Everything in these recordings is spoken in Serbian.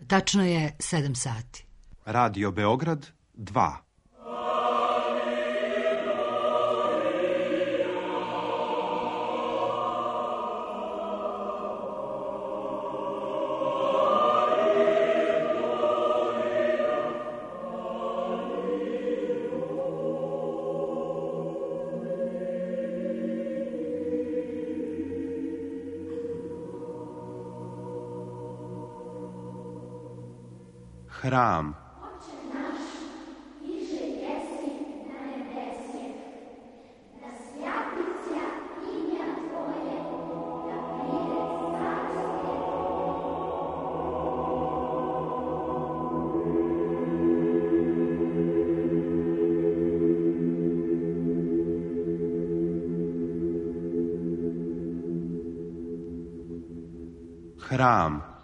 Tačno je 7 sati. Radio Beograd 2. Hram. Hram.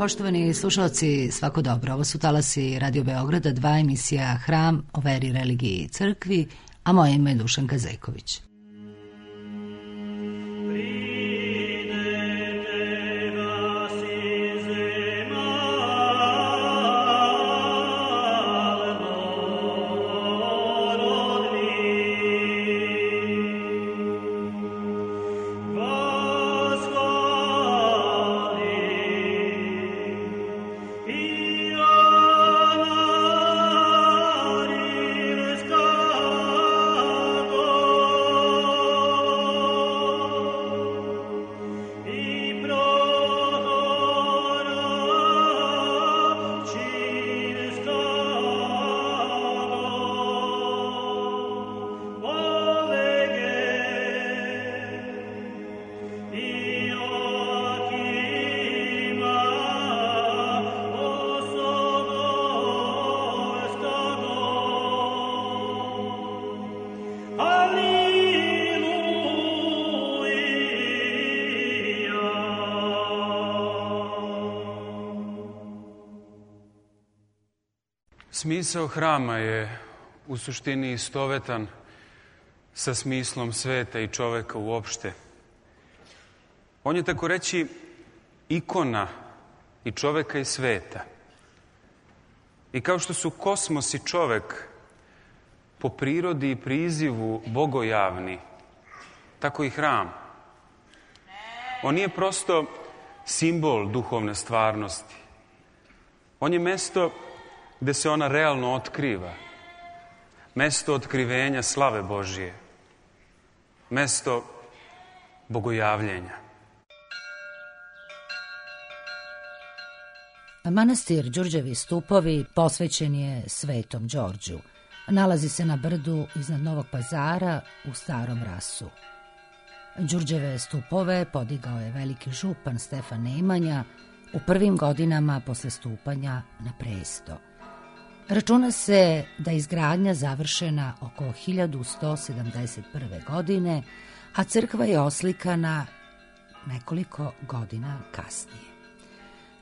Poštovani slušalci, svako dobro. Ovo su talasi Radio Beograda 2, emisija Hram o veri, religiji i crkvi, a moje ime je Dušanka Zejković. Smisao hrama je u suštini istovetan sa smislom sveta i čoveka uopšte. On je, tako reći, ikona i čoveka i sveta. I kao što su kosmos i čovek po prirodi i prizivu bogojavni, tako i hram. On nije prosto simbol duhovne stvarnosti. On je mesto gde se ona realno otkriva. Mesto otkrivenja slave Božije. Mesto bogojavljenja. Manastir Đurđevi stupovi posvećen je Svetom Đorđu. Nalazi se na brdu iznad Novog Pazara u Starom Rasu. Đurđeve stupove podigao je veliki župan Stefan Nemanja u prvim godinama posle stupanja na presto. Računa se da je izgradnja završena oko 1171. godine, a crkva je oslikana nekoliko godina kasnije.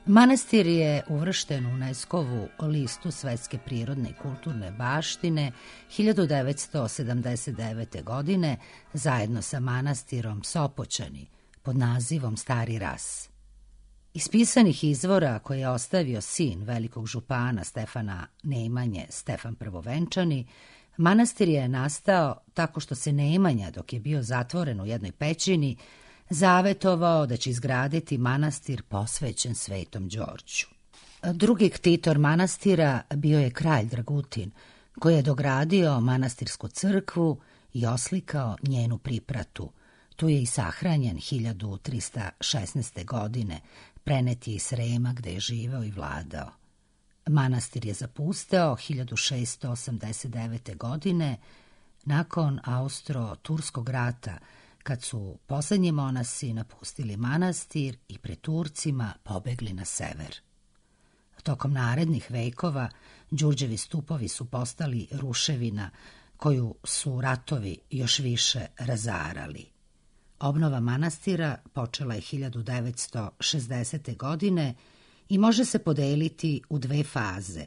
Manastir je uvršten u UNESCO-vu listu Svetske prirodne i kulturne baštine 1979. godine zajedno sa manastirom Sopoćani pod nazivom Stari Ras. Iz pisanih izvora koje je ostavio sin velikog župana Stefana Nemanje, Stefan Prvovenčani, manastir je nastao tako što se Nemanja, dok je bio zatvoren u jednoj pećini, zavetovao da će izgraditi manastir posvećen Svetom Đorđu. Drugi ktitor manastira bio je kralj Dragutin, koji je dogradio manastirsku crkvu i oslikao njenu pripratu. Tu je i sahranjen 1316. godine, prenet je iz Srema gde je živeo i vladao. Manastir je zapusteo 1689. godine nakon Austro-Turskog rata, kad su poslednji monasi napustili manastir i pred Turcima pobegli na sever. Tokom narednih vekova Đurđevi stupovi su postali ruševina koju su ratovi još više razarali. Obnova manastira počela je 1960. godine i može se podeliti u dve faze.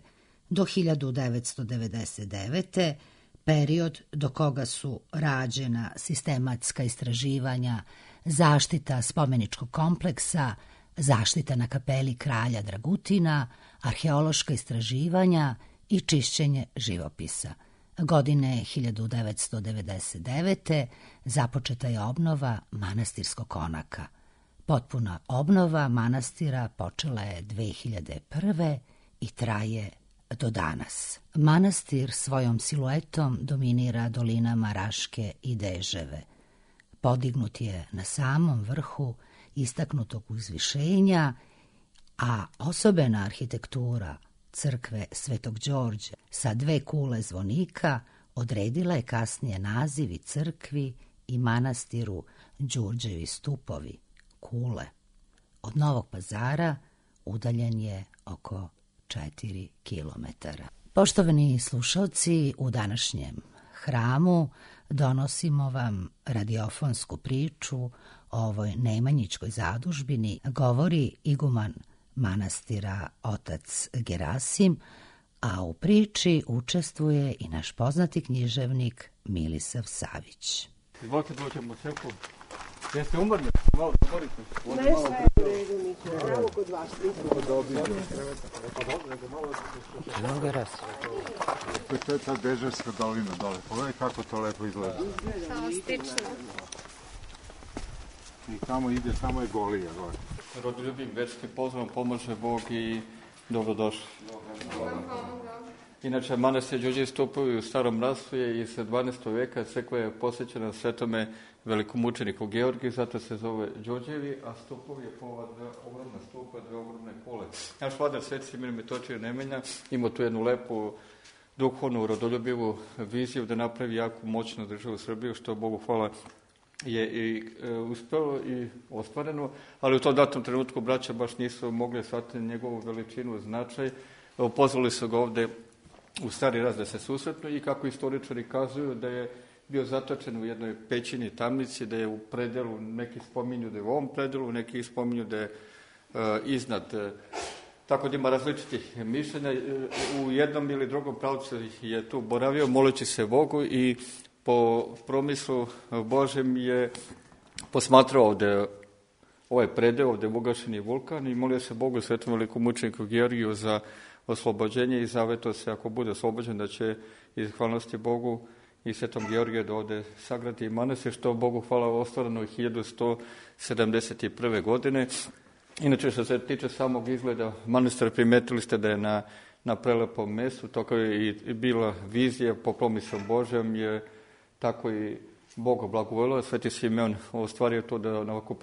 Do 1999. period do koga su rađena sistematska istraživanja, zaštita spomeničkog kompleksa, zaštita na kapeli kralja Dragutina, arheološka istraživanja i čišćenje živopisa. Godine 1999. započeta je obnova manastirskog konaka. Potpuna obnova manastira počela je 2001. i traje do danas. Manastir svojom siluetom dominira dolinama Raške i Deževe. Podignut je na samom vrhu istaknutog uzvišenja, a osobena arhitektura crkve Svetog Đorđa sa dve kule zvonika odredila je kasnije nazivi crkvi i manastiru Đurđevi stupovi, kule. Od Novog Pazara udaljen je oko 4 kilometara. Poštovani slušalci, u današnjem hramu donosimo vam radiofonsku priču o ovoj Nemanjićkoj zadužbini. Govori iguman manastira otac Gerasim, a u priči učestvuje i naš poznati književnik Milisav Savić. Izvolite, dođemo u crkvu. Jeste umorni? Malo zamorite. Ne, sve u redu, Niko. Evo kod vas. Evo ga raz. To je ta Deževska dolina dole. Pogledaj kako to lepo izgleda. Samo stično. I tamo ide, tamo je Golija. Rodoljubim, večni pozdrav, pomože Bog i dobrodošli. Inače, manastir Đurđevi stupovi u Starom Rasu je iz 12. veka. Crkva je posvećena svetome velikomučeniku Georgiju, zato se zove Đurđevi, a stupovi je po ova ogromna stupa, dve ogromne kule. Naš vladar Sveti Simeon Metočije Nemanja ima tu jednu lepu duhovnu, rodoljubivu viziju da napravi jako moćnu državu Srbiju, što Bogu hvala je i uspelo i ostvareno, ali u tom datom trenutku braća baš nisu mogli shvatiti njegovu veličinu, značaj. Pozvali su ga ovde u Stari Ras da se susretnu i kako istoričari kazuju da je bio zatočen u jednoj pećini, tamnici, da je u predelu, neki spominju da je u ovom predelu, neki spominju da je iznad. Tako da ima različitih mišljenja. U jednom ili drugom pravcu je tu boravio moleći se Bogu i po promislu Božem je posmatrao ovde ovaj predeo, ovde je ugašeni vulkan i molio se Bogu, svetom velikomučeniku Georgiju za oslobođenje i zavetao se ako bude oslobođen da će iz hvalnosti Bogu i svetom Georgiju da ovde sagradi manastir, što Bogu hvala ostvareno 1171. godine. Inače, što se tiče samog izgleda manastira, primetili ste da je na prelepom mestu, to kao je i bila vizija po promislu Božem, je tako i Bog blagovolio. Sveti Simeon ostvario to da na ovako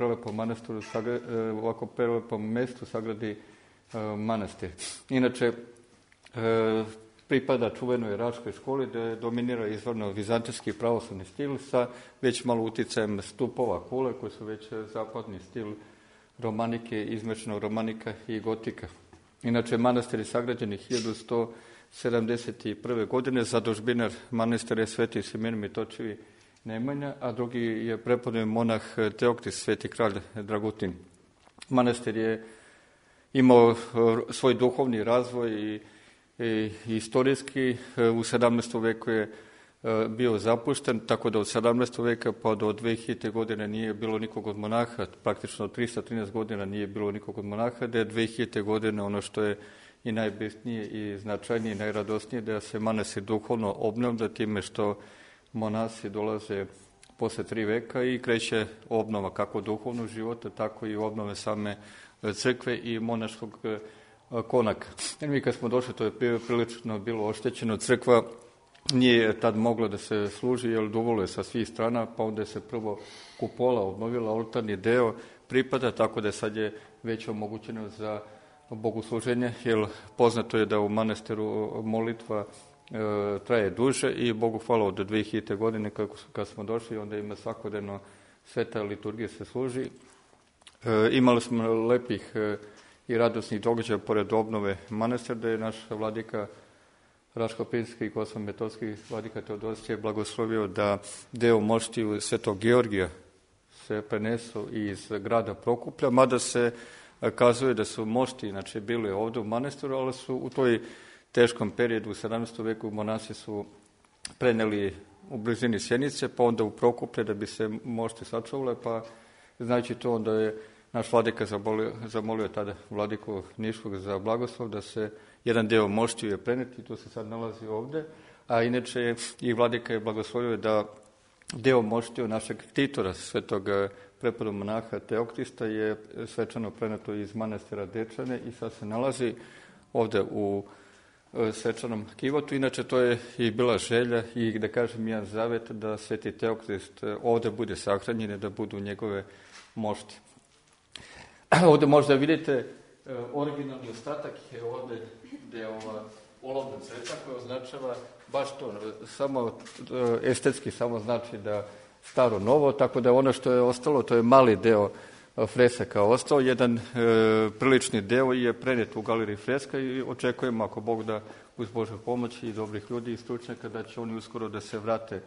prelepom mestu sagradi manastir. Inače, pripada čuvenoj Raškoj školi da dominira izvorno vizantijski pravoslavni stil sa već malo uticajem stupova kule koji su već zapadni stil romanike, izmešano romanika i gotika. Inače, manastir je sagrađen 1171. godine, zadužbinar manastira je Sveti Simeon Metočevi Nemanja, a drugi je prepodobni monah Teoktis, Sveti kralj Dragutin. Manastir je imao svoj duhovni razvoj i istorijski. U 17. veku je bio zapušten, tako da od 17. veka pa do 2000. godine nije bilo nikog od monaha, praktično 313 godina nije bilo nikog od monaha, da je 2000. godine ono što je i najbitnije i značajnije i najradosnije, da se manastir duhovno obnavlja time što monasi dolaze posle 3 veka i kreće obnova kako duhovnog života, tako i obnove same crkve i monaškog konaka. Mi kad smo došli, to je prilično bilo oštećeno. Crkva nije tad moglo da se služi, jer duvalo je sa svih strana, pa onda je se prvo kupola obnovila, oltarni deo pripada, tako da sad je već omogućeno za bogosluženje, jer poznato je da u manastiru molitva traje duže i Bogu hvala od 2000. godine kad smo došli, onda ima svakodnevno sveta liturgija se služi. Imali smo lepih i radosnih događaja pored obnove manastira, da je naš vladika Raško-Pinski i Kosovsko-Metohijski vladika Teodosije blagoslovio da deo moštiju Svetog Georgija se prenesu iz grada Prokuplja, mada se kazuje da su mošti znači, bili ovde u manastiru, ali su u toj teškom periodu u 17. veku monasi su preneli u blizini Sjenice, pa onda u Prokuplje da bi se mošti sačuvale, pa znajući to onda je naš vladika zamolio tada vladiku Niškog za blagoslov da se jedan deo moštiju je preneti, to se sad nalazi ovde, a inače i vladika je blagoslovio da deo moštiju našeg ktitora, svetog preporod monaha Teoktista, je svečano preneto iz manastira Dečane i sad se nalazi ovde u svečanom kivotu. Inače, to je i bila želja i, da kažem, jedan zavet da sveti Teoktist ovde bude sahranjen, da budu njegove mošti. Ovde možda vidite originalni ostatak je ovde gde je ova olovna crta koja označava baš to, samo estetski samo znači da staro novo, tako da ono što je ostalo, to je mali deo fresaka ostao, jedan prilični deo je prenet u galeriji freska i očekujemo, ako Bog da, uz Božju pomoć i dobrih ljudi i stručnjaka, da će oni uskoro da se vrate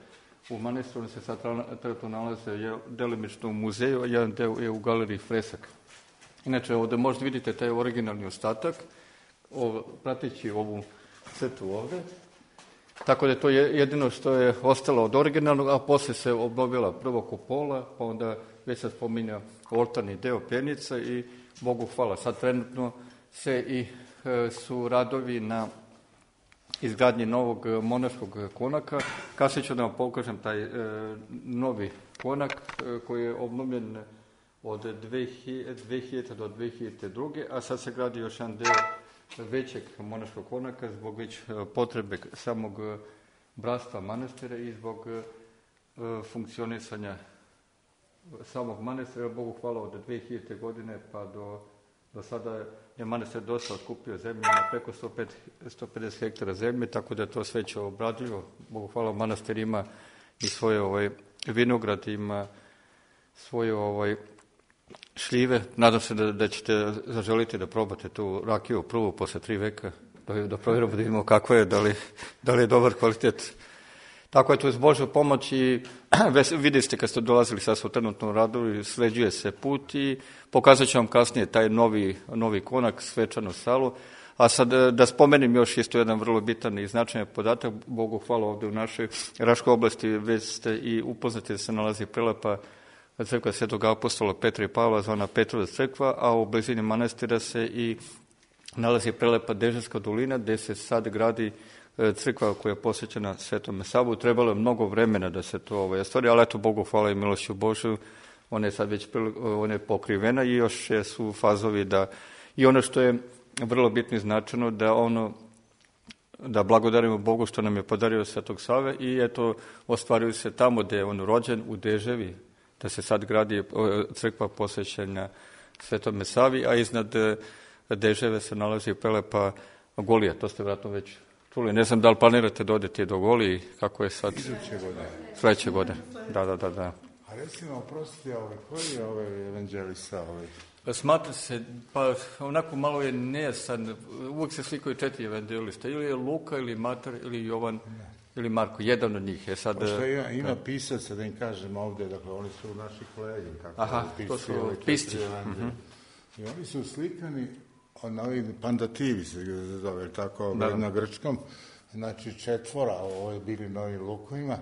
u manastir. Oni se sad trenutno nalaze delimično u muzeju, a jedan deo je u galeriji fresaka. Inače, ovde možda vidite taj originalni ostatak, prateći ovu crtu ovde. Tako da to je jedino što je ostalo od originalnog, a posle se obnovila prvo kupola, pa onda već se spominja oltarni deo pernica i Bogu hvala. Sad trenutno se i su radovi na izgradnji novog monaškog konaka. Kasnije ću da vam pokažem taj novi konak koji je obnovljen od 2000. do 2002. A sad se gradi još jedan deo većeg monaškog konaka zbog već potrebe samog bratstva manastira i zbog funkcionisanja samog manastira. Bogu hvala, od 2000. godine pa do sada je manastir dosta otkupio zemlje, na preko 150 hektara zemlje, tako da je to sve će obradio. Bogu hvala, manastir ima i svoje vinograd, ima svoje šljive. Nadam se da ćete zaželiti da probate tu rakiju prvu posle 3 veka, da provjerimo, da vidimo kako je, da li je dobar kvalitet. Tako je to iz Božja pomoć i vidjeli ste kad ste dolazili, sad su trenutno radovi, sređuje se put i pokazat ću vam kasnije taj novi konak, svečanu salu. A sad da spomenem još isto jedan vrlo bitan i značajan podatak. Bogu hvala, ovde u našoj Raškoj oblasti već ste i upoznati da se nalazi prelepa crkva Svetog apostola Petra i Pavla, zvana Petrova crkva, a u blizini manastira se i nalazi prelepa Dežanska dolina, gde se sad gradi crkva koja je posvećena Svetome Savu. Trebalo je mnogo vremena da se to ostvari, ali eto, Bogu hvala i milošću Božju, ona je sad već ona je pokrivena i još su fazovi da, i ono što je vrlo bitno i značajno, da blagodarimo Bogu što nam je podario Svetog Save i eto, ostvaruju se tamo gde je on rođen, u Deževi, da se sad gradi crkva posvećena Svetome Savi, a iznad Deževe se nalazi prelepa Golija, to ste vjerojatno već čuli. Ne znam da li planirate da odete do Golije, kako je sad? Sledeće godine. Da. A recimo, oprostite, koji je evanđelista? Smatra se, pa onako malo je nejasan, uvijek se slikaju 4 evanđelista, ili je Luka, ili Matar, ili Jovan, ili Marko, jedan od njih je sad... Pošto ima pisaca, da im kažem ovde, dakle, oni su naši kolegi. Aha, to su pisci. I oni su slikani na ovim pandativi, se zove, tako, na grčkom, znači 4, ovo je bili na ovim lukovima,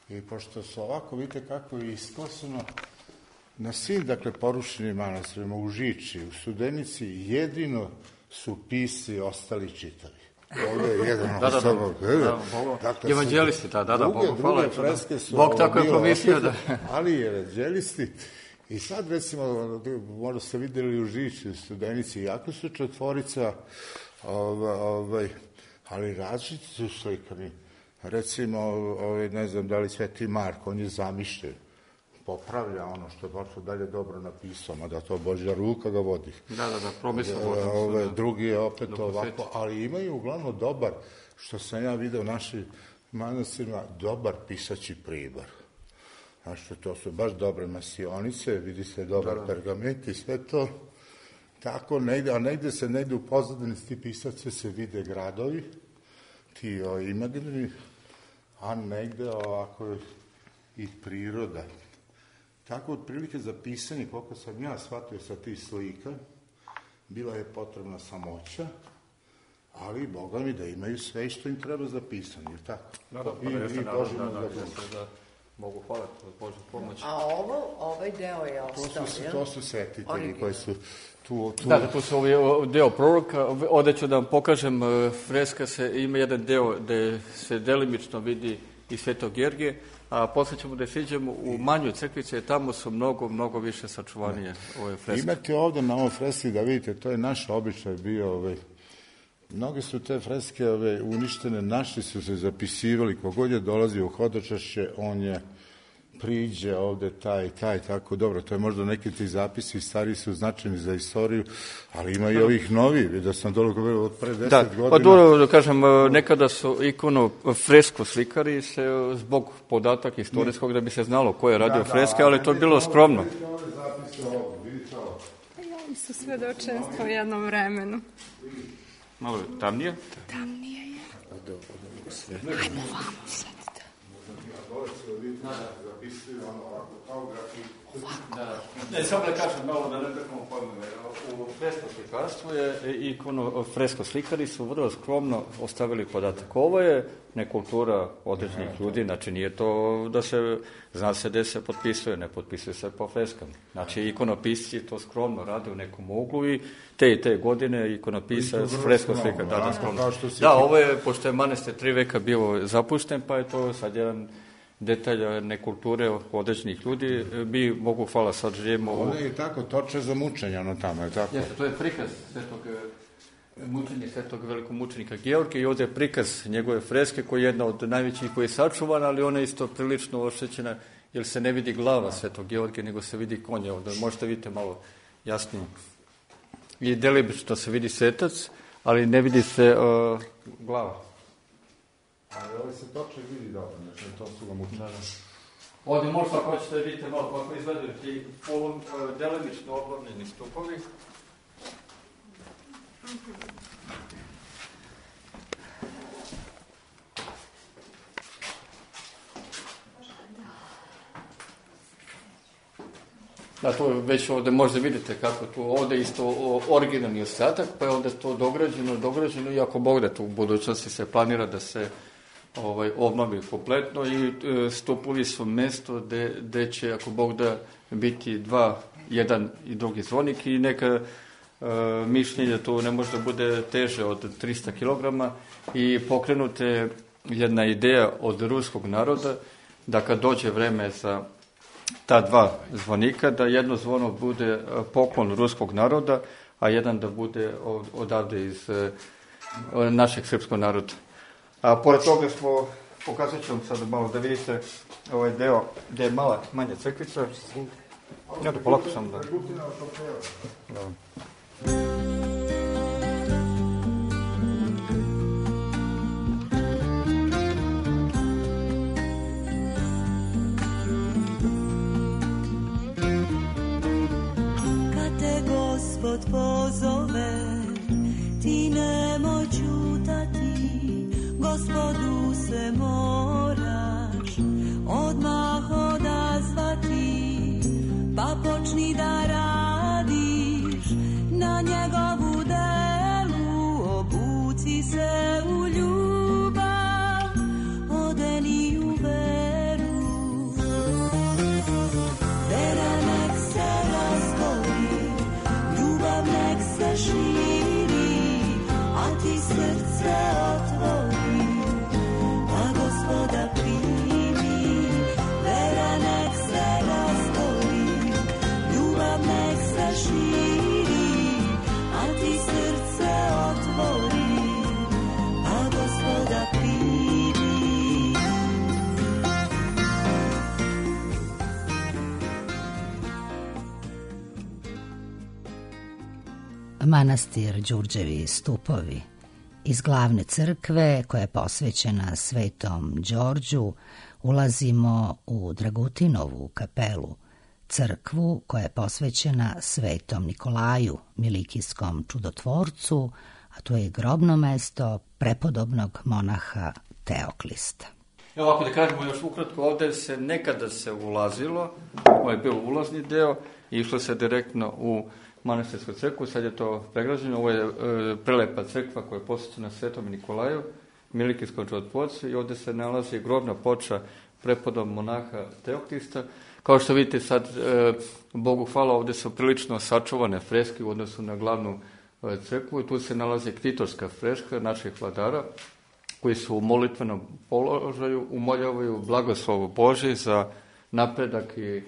i pošto su ovako, vidite kako je iskosano, na svim, dakle, porušenim manastirima, u Žiči, u Studenici, jedino su pisci ostali čitavi. Ovdje je jedan osoba. Evanđelisti, da, Bogu hvala. Druge freske su... Bog tako je promislio da... Ali i evanđelisti. I sad, recimo, možda ste videli u Žiči, u Studenici, jako su 4, ali različiti su slikani. recimo, ne znam da li Sveti Mark, on je zamišljen, popravlja ono što je baš dalje dobro napisao, mada to Božja ruka ga vodi. Da, promislio. Drugi je opet ovako, ali imaju uglavnom dobar, što sam ja video u našim manastirima, dobar pisaći pribor. Znači, to su baš dobre masionice, vidi se dobar pergament i sve to. Tako negde, a negde u pozadini ti pisace se vide gradovi, ti imaginarni, a negde ovako i priroda. Tako otprilike za pisanje, koliko sam ja shvatio sa tih slika, bila je potrebna samoća, ali Boga mi da imaju sve što im treba za pisanje, tako? I Božimo da mogu hvaliti od Božju pomoć. A ovaj deo je ostao, jel? To su svetitelji koji su tu. Da, tu su deo proroka. Ovdje ću da vam pokažem, freska ima jedan deo gde se delimično vidi i Svetog Georgije, a posle ćemo da siđemo u manju crkvicu, tamo su mnogo više sačuvanije ove freske. Imate ovdje na ovom freski da vidite, to je naš običaj bio, mnoge su te freske uništene, naši su se zapisivali, kogod je dolazio u hodočašće, on je priđe ovde taj, tako dobro, to je možda neki ti zapisi, stari su značajni za istoriju, ali ima i ovih novi, vidio sam dole od pre 10 godina. Pa dobro da kažem, nekada su fresko slikari se zbog podataka istorijskog da bi se znalo ko je radio freske, ali to je bilo skromno. Oni su svedočenstvo u jednom vremenu. Malo tamnije? Tamnije je. Ajmo vamo sad. Ne, samo da kažem malo da ne prekamo pojmove. U fresko slikarstvu je fresko slikari su vrlo skromno ostavili podatak. Ovo je nekultura određenih ljudi, znači nije to da se, zna se gde se potpisuje, ne potpisuje se po freskama. Znači ikonopisci to skromno rade u nekom uglu i te godine ikonopisac fresko slikar. Da, ovo je, pošto je manastir 3 veka bio zapušten, pa je to sad jedan detalja nekulture određenih ljudi, mi mogu, hvala, sad živimo Ovo je tako, toče za mučenje, ono tamo, je tako? Jeste, to je prikaz svetog velikomučenika Georgija i ovdje je prikaz njegove freske koja je jedna od najvećih koji je sačuvana, ali ona je isto prilično oštećena, jer se ne vidi glava svetog Georgija, nego se vidi konja ovdje, možete vidjeti malo jasnije. I delimično se vidi svetac, ali ne vidi se glava. Ali ovo se toče vidi dobro, znači to su ga mučili. Ovdje možda ako hoćete da vidite malo kako izgledaju ti delimično oblovljeni stupovi. Da, to već ovdje možda vidite kako tu, ovdje isto originalni ostatak, pa je ovdje to dograđeno i ako Bog da tu u budućnosti se planira da se obnovi kompletno i stupovi su mesto gde će, ako Bog da, biti jedan i drugi zvonik i neka mišljenje to ne može da bude teže od 300 kg i pokrenute jedna ideja od ruskog naroda da kad dođe vreme za ta 2 zvonika, da jedno zvono bude poklon ruskog naroda, a jedan da bude odavde iz našeg srpskog naroda. A pored toga smo, pokazat ću vam sad malo da vidite ovaj deo gde je manja crkvica. Ja da polako sam da... Kad te Gospod pozove, ti nemoj ćutati, Gospodu se moraš odmah odazvati, pa počni da radiš na njegovu delu, obuci se u ljubav, odeni u veru. Vera nek se razgori, ljubav nek se širi, a manastir Đurđevi stupovi. Iz glavne crkve, koja je posvećena Svetom Đorđu, ulazimo u Dragutinovu kapelu, crkvu koja je posvećena Svetom Nikolaju, milikijskom čudotvorcu, a to je grobno mesto prepodobnog monaha Teoklista. Evo, ako da kažemo još ukratko, ovde se nekada se ulazilo, ovo je bio ulazni deo, i išlo se direktno u manastirsku crkvu, sad je to pregrađeno, ovo je prelepa crkva koja je posvećena Svetom Nikolaju, milikijskom čudotvorcu, i ovde se nalazi grobna ploča prepodobnog monaha Teoklista. Kao što vidite sad, Bogu hvala, ovde su prilično sačuvane freske u odnosu na glavnu crkvu, i tu se nalazi ktitorska freska naših vladara, koji su u molitvenom položaju, umoljavaju blagoslovu Božji za napredak i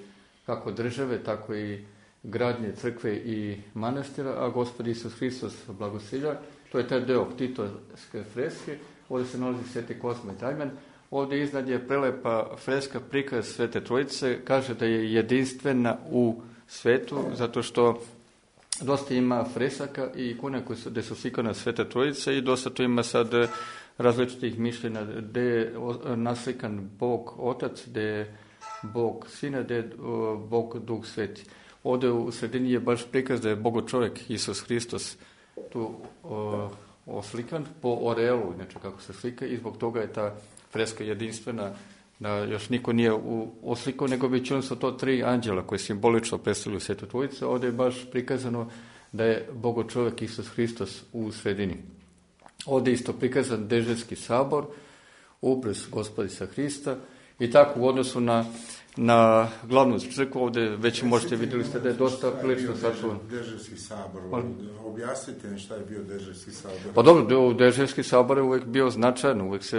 kako države, tako i gradnje crkve i manastira, a Gospod Isus Hristos blagosilja. To je taj deo ktitorske freske. Ovde se nalazi Sveti Kozma i Dajman. Ovde iznad je prelepa freska prikaz Svete Trojice. Kaže da je jedinstvena u svetu, zato što dosta ima fresaka i ikona gde su slikana Svete Trojice, i dosta tu ima sad različitih mišljenja gde je naslikan Bog Otac, gde je Bog Sina, gde je Bog Duh Sveti. Ovde u sredini je baš prikaz da je Bogo čovjek Isus Hristos tu oslikan po orelu, inače kako se slika, i zbog toga je ta freska jedinstvena, da još niko nije oslikao, nego većinom su to 3 anđela koji simbolično predstavljaju Svetu Trojicu. Ovde je baš prikazano da je Bogo čovjek Isus Hristos u sredini. Ovde je isto prikazan Deževski sabor, upres Gospodisa Hrista, i tako u odnosu na glavnu crkvu, ovde već možete vidjeli ste da je dosta prilično sačuvan. Deževski sabor, objasnite mi šta je bio Deževski sabor. Pa dobro, Deževski sabor je uvek bio značajan, uvek se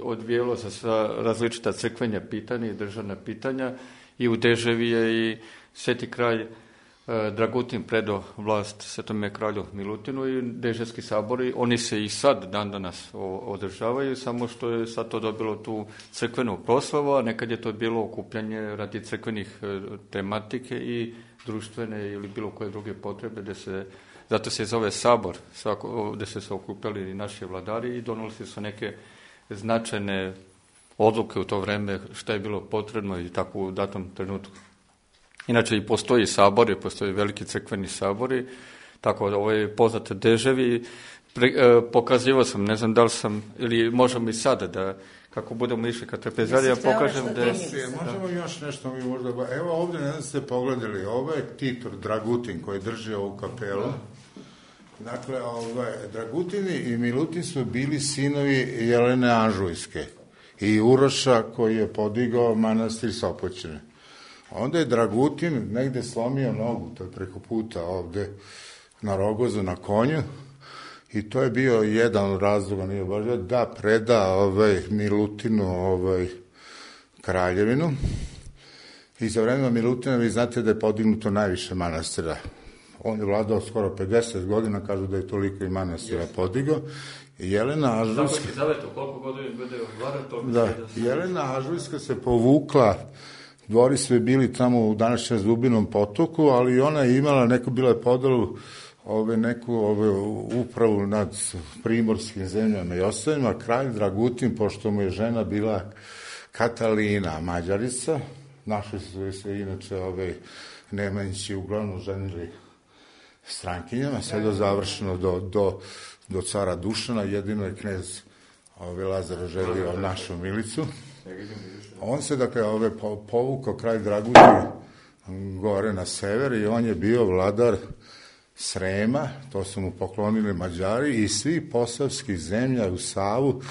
odvijelo za sva različita crkvenja pitanja i državna pitanja, i u Deževi je i Sveti kralj Dragutin predao vlast Svetome kralju Milutinu, i Deževski sabori, oni se i sad dan danas održavaju, samo što je sad to dobilo tu crkvenu proslavu, a nekad je to bilo okupljanje radi crkvenih tematike i društvene ili bilo koje druge potrebe, zato se zove sabor, gde se okupljali i naši vladari i donosili su neke značajne odluke u to vreme šta je bilo potrebno i tako u datom trenutku. Inače i postoji sabori, postoji veliki crkveni sabori, tako da ovo je poznate Deževi. Pokazivao sam, ne znam da li sam, ili možemo i sada da, kako budemo išli kad trapezarija, pokažem da je... Možemo još nešto mi možda... Evo ovdje, ne znam ste pogledali, ovo je ktitor Dragutin koji drži ovu kapelu. Dakle, Dragutini i Milutin su bili sinovi Jelene Anžujske i Uroša koji je podigao manastir Sopoćane. Onda je Dragutin negde slomio nogu, to je preko puta ovde na Rogozu na konju, i to je bio jedan od razloga, nije baš da preda Milutinu kraljevinu. I za vremena Milutina vi znate da je podignuto najviše manastira. On je vladao skoro 50 godina, kažu da je toliko i manastira podigao. Jelena Ažujska... Jelena Ažujska se povukla. Dvori sve bili tamo u današnjem Zubinom potoku, ali ona je imala bila je podelu neku upravu nad primorskim zemljama i ostavima. Kralj Dragutin, pošto mu je žena bila Katalina Mađarica, našli su se inače Nemanjići uglavnom ženili strankinjama, sve do završeno do cara Dušana, jedino je knez Lazar želio našu Milicu. On se, dakle, povukao kralj Dragutin gore na sever i on je bio vladar Srema, to su mu poklonili Mađari i svi posavskih zemlja u Savu,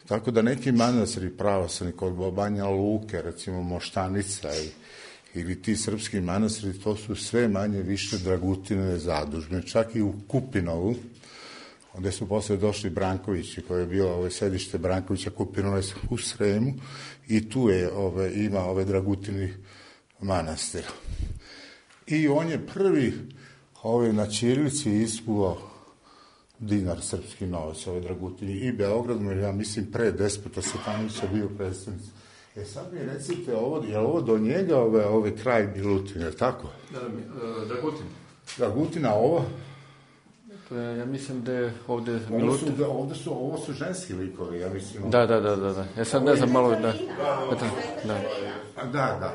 tako da neki manastiri pravoslavni kod Banja Luke, recimo Moštanica ili ti srpski manastiri, to su sve manje više Dragutinove zadužbe, čak i u Kupinovu, gde su posle došli Brankovići, koje je bilo sedište Brankovića, Kupinove u Sremu, i tu je ima Dragutini manastir. I on je prvi na ćirilici iskuvao dinar srpski novac, Dragutini, i Beogradu, ja mislim pre Despota Stefanovića bio predstavnik. Sad mi recite, je li ovo do njega kraj Milutin, je li tako? Dragutin. Dragutina ovo? Ja mislim da je ovdje Ovo su ženski likovi, ja mislim. Da. Ja sad ne znam malo Da.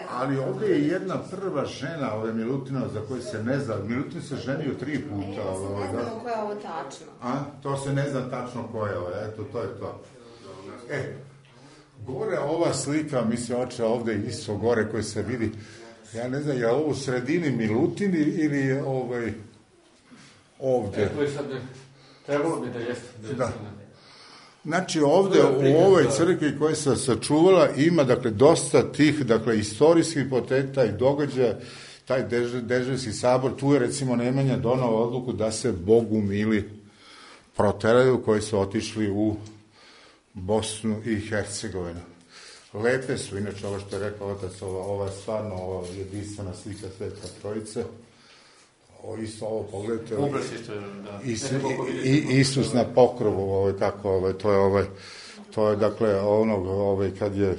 Ali ovdje je jedna prva žena, Milutina, za koju se ne zna. Milutin se ženio 3 puta. Ne znamo ko je ovo tačno. To se ne zna tačno ko je ovo, eto, to je to. Gore ova slika, mislim, oče ovdje isto gore koji se vidi, ja ne znam, je ovo u sredini Milutin ili je ovdje? To je sad, trebalo bi da jeste. Da. Znači ovdje u ovoj crkvi koja se sačuvala ima dakle dosta tih dakle istorijskih poteta i događaja, taj Deževski sabor, tu je recimo Nemanja donao odluku da se Bogumili proteraju koji su otišli u Bosnu i Hercegovinu. Lepe su, inače ovo što je rekao otac, ova stvarno ova jedinstvena slika Sveta Trojice. Isto ovo pogledajte. Isus na pokrovu, kako to je dakle onog kad je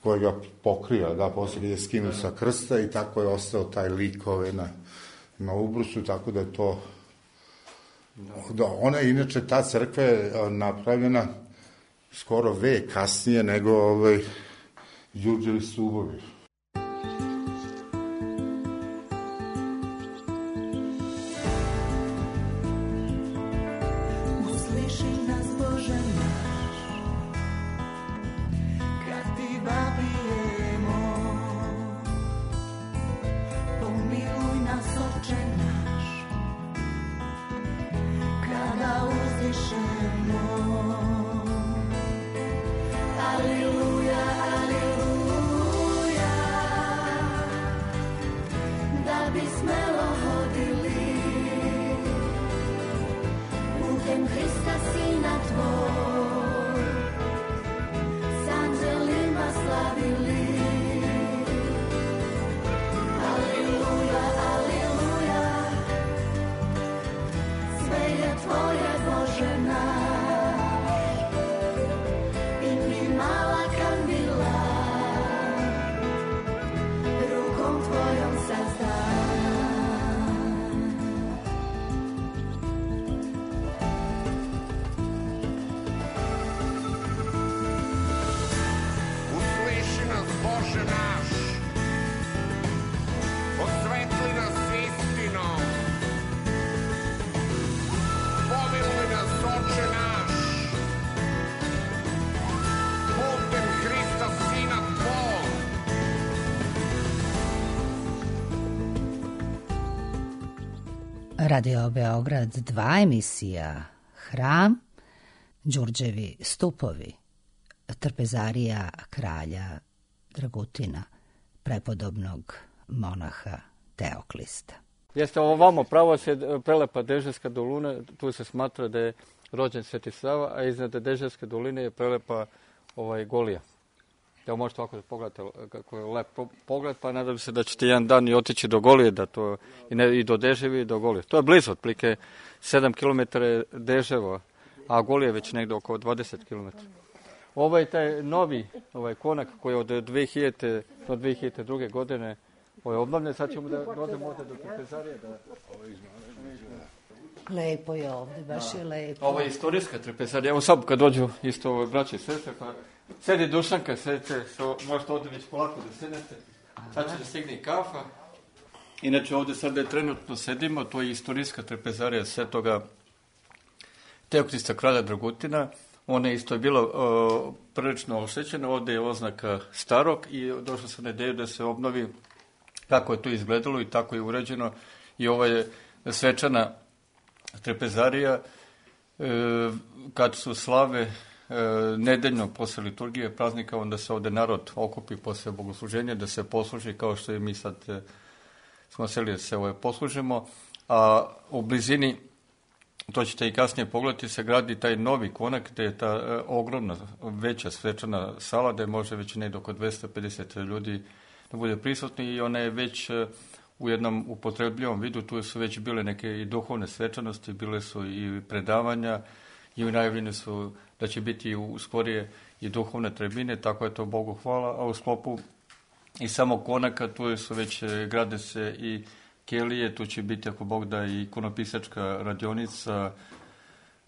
kojega pokrija, da, poslije je skinuo sa krsta i tako je ostao taj lik na ubrusu, tako da je to ona inače ta crkva je napravljena skoro vek kasnije nego Đurđevi stubovi. Radio Beograd 2, emisija Hram, Đurđevi stupovi, trpezarija kralja Dragutina, prepodobnog monaha Teoklista. Jeste ovamo pravo se prelepa Deževska dolina, tu se smatra da je rođen Sveti Sava, a iznad Deževske doline je prelepa Golija. Evo možete ovako da pogledate kako je lep pogled, pa nadam se da ćete jedan dan i otići do Golije, i do Deževi i do Golije. To je blizu, otprilike 7 km Deževa, a Golije je već negdje oko 20 km. Taj novi konak koji je od 2000 do 2002. godine je obnovljen, sad ćemo da dođemo ovdje do trpezarije. Lepo je ovdje, baš je lepo. Ovo je istorijska trpezarija, evo sad kad dođu isto braće i sestre, pa sedi Dušanka, sedite, možete ovdje već polako da sedete, sad će da stigne kafa. Inače ovdje sad trenutno sedimo, to je istorijska trpezarija Svetoga Teoklista kralja Dragutina. Ona je isto bila prilično oštećena, ovdje je oznaka starog i došlo sam na ideju da se obnovi kako je to izgledalo i tako je uređeno. I ovo je svečana trpezarija kad su slave nedeljno posle liturgije praznika, onda se ovdje narod okupi posle bogosluženja da se posluži kao što i mi sad smo seli da se poslužimo, a u blizini, to ćete i kasnije pogledati, se gradi taj novi konak gdje je ta ogromna veća svečana sala gdje može već negdje oko 250 ljudi da bude prisutni i ona je već u jednom upotrebljivom vidu, tu su već bile neke i duhovne svečanosti, bile su i predavanja i najavljene su da će biti u skorije i duhovne tribine, tako je to Bogu hvala, a u sklopu i samog konaka tu su već grade se i kelije, tu će biti, ako Bog da, i ikonopisačka radionica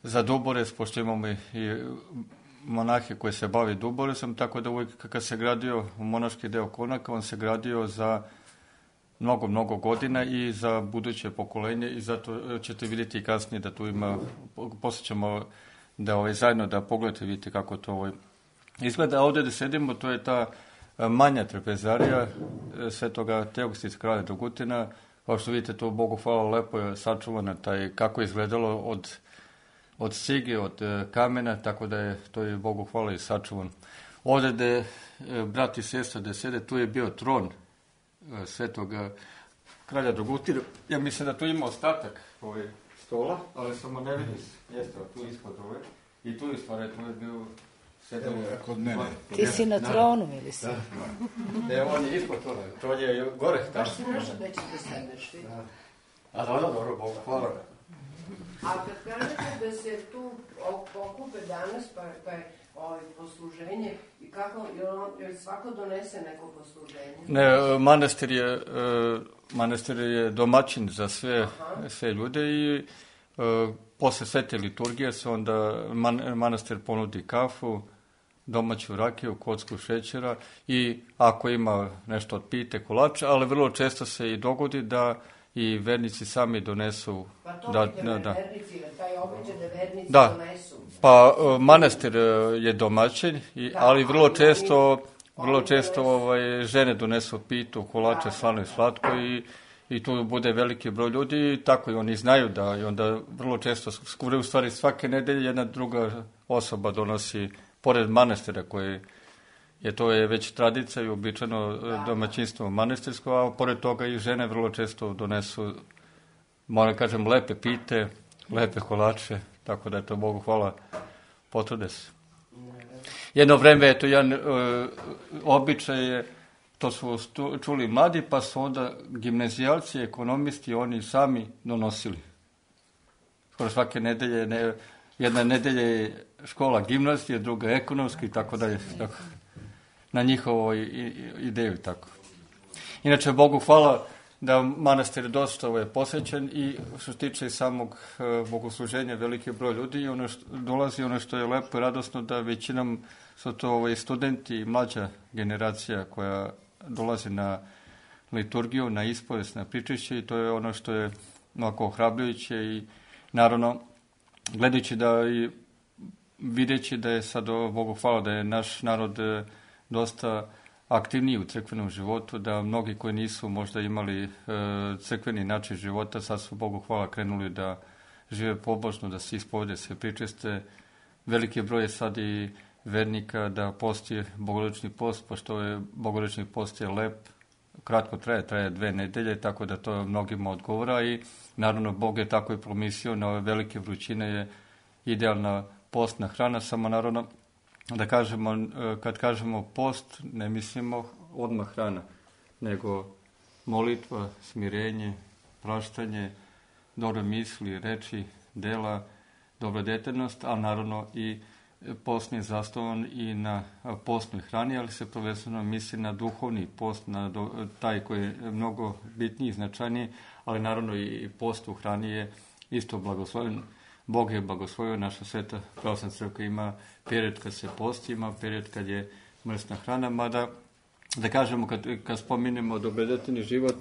za Duborez, pošto imamo i monahe koje se bave Duborezom, tako da uvijek kad se gradio monaški deo Konaka, on se gradio za mnogo godina i za buduće pokolenje, i zato ćete vidjeti kasnije da tu ima, poslije ćemo da zajedno da pogledate, vidite kako to izgleda. A ovdje da sedimo, to je ta manja trpezarija Svetoga Teokstica kralja Dragutina. Kao što vidite, to Bogu hvala, lepo je sačuvana kako je izgledalo od cige, od kamena, tako da je to je Bogu hvala i sačuvan. Ovdje gde brat i sestra da sede, tu je bio tron Svetoga kralja Dragutina. Ja mislim da tu ima ostatak stola, ali samo ne vidim mjesta tu ispod ove. I tu je stvar, tu je bio kod mene. Ti si na tronu, ili si? Ne, on je ispod trona, tron je gore. Baš si nešto da ćete sedneš, ti. A dobro, Bogu hvala. A kad kažete da se tu okupe danas, pa je posluženje, i kako, jer svako donese neko posluženje? Ne, manastir je domaćin za sve ljude i posle svete liturgije se onda manastir ponudi kafu, domaću rakiju, kocku šećera i ako ima nešto od pite, kolača, ali vrlo često se i dogodi da i vernici sami donesu. Pa to vernici, taj običaj da vernici donesu. Pa manastir je domaćin, ali vrlo često žene donesu pitu, kolače, slano i slatko i tu bude veliki broj ljudi i tako i oni znaju da i onda vrlo često, u stvari svake nedelje jedna druga osoba donosi, pored manastira koji to je već tradicija i običajno domaćinstvo manastirsko, a pored toga i žene vrlo često donesu, moram kažem, lepe pite, lepe kolače, tako da je to Bogu hvala, potrude se. Jedno vreme je to jedan običaj, to su čuli mladi, pa su onda gimnazijalci, ekonomisti, oni sami donosili. Skoro svake nedelje, jedna nedelja je škola gimnazije, druga ekonomski i tako dalje. Na njihovu ideju tako. Inače, Bogu hvala da manastir dosta posvećen i što se tiče samog bogosluženja veliki broj ljudi i dolazi ono što je lepo i radosno da većinom su to studenti i mlađa generacija koja dolazi na liturgiju, na ispovest, na pričešće i to je ono što je mnogo ohrabrujuće i naravno gledajući da i videći da je sad Bogu hvala da je naš narod dosta aktivniji u crkvenom životu, da mnogi koji nisu možda imali crkveni način života, sad su Bogu hvala krenuli da žive pobožno, da se ispovede, se pričeste. Veliki broj je sad i vernika da posti bogorodični post, pošto je bogorodični post je lep, kratko traje 2 nedelje, tako da to mnogima odgovara i naravno Bog je tako i promislio na ove velike vrućine je idealna postna hrana, samo naravno da kažemo, kad kažemo post, ne mislimo odmah hrana, nego molitva, smirenje, praštanje, dobre misli, reči, dela, dobrodetljnost, a naravno i post je zasnovan i na postnoj hrani, ali se prvenstveno misli na duhovni post, na taj koji je mnogo bitniji i značajniji, ali naravno i post u hrani je isto blagosloven. Bog je blagoslovio, naša sveta pravoslavna crkva ima period kad se posti, ima period kad je mrsna hrana, mada da kažemo kad spominjemo dobrodetveni život,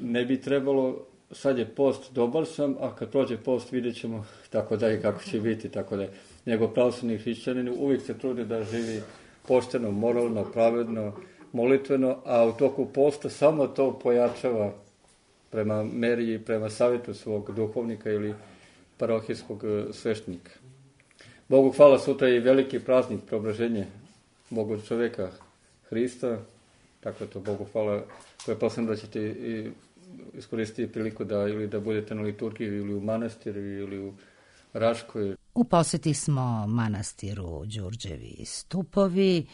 ne bi trebalo, sad je post, dobar sam, a kad prođe post vidjet ćemo tako da i kako će biti, tako da nego pravoslavni hrišćanin uvijek se trudi da živi pošteno, moralno, pravedno, molitveno, a u toku posta samo to pojačava prema meri i prema savjetu svog duhovnika ili parohijskog sveštenika. Bogu hvala, sutra je i veliki praznik preobraženje Boga čovjeka Hrista, tako to Bogu hvala, koje posledno da ćete i iskoristiti priliku da ili da budete na liturgiji ili u manastiru ili u Raškoj. U posjeti smo manastiru Đurđevi stupovi,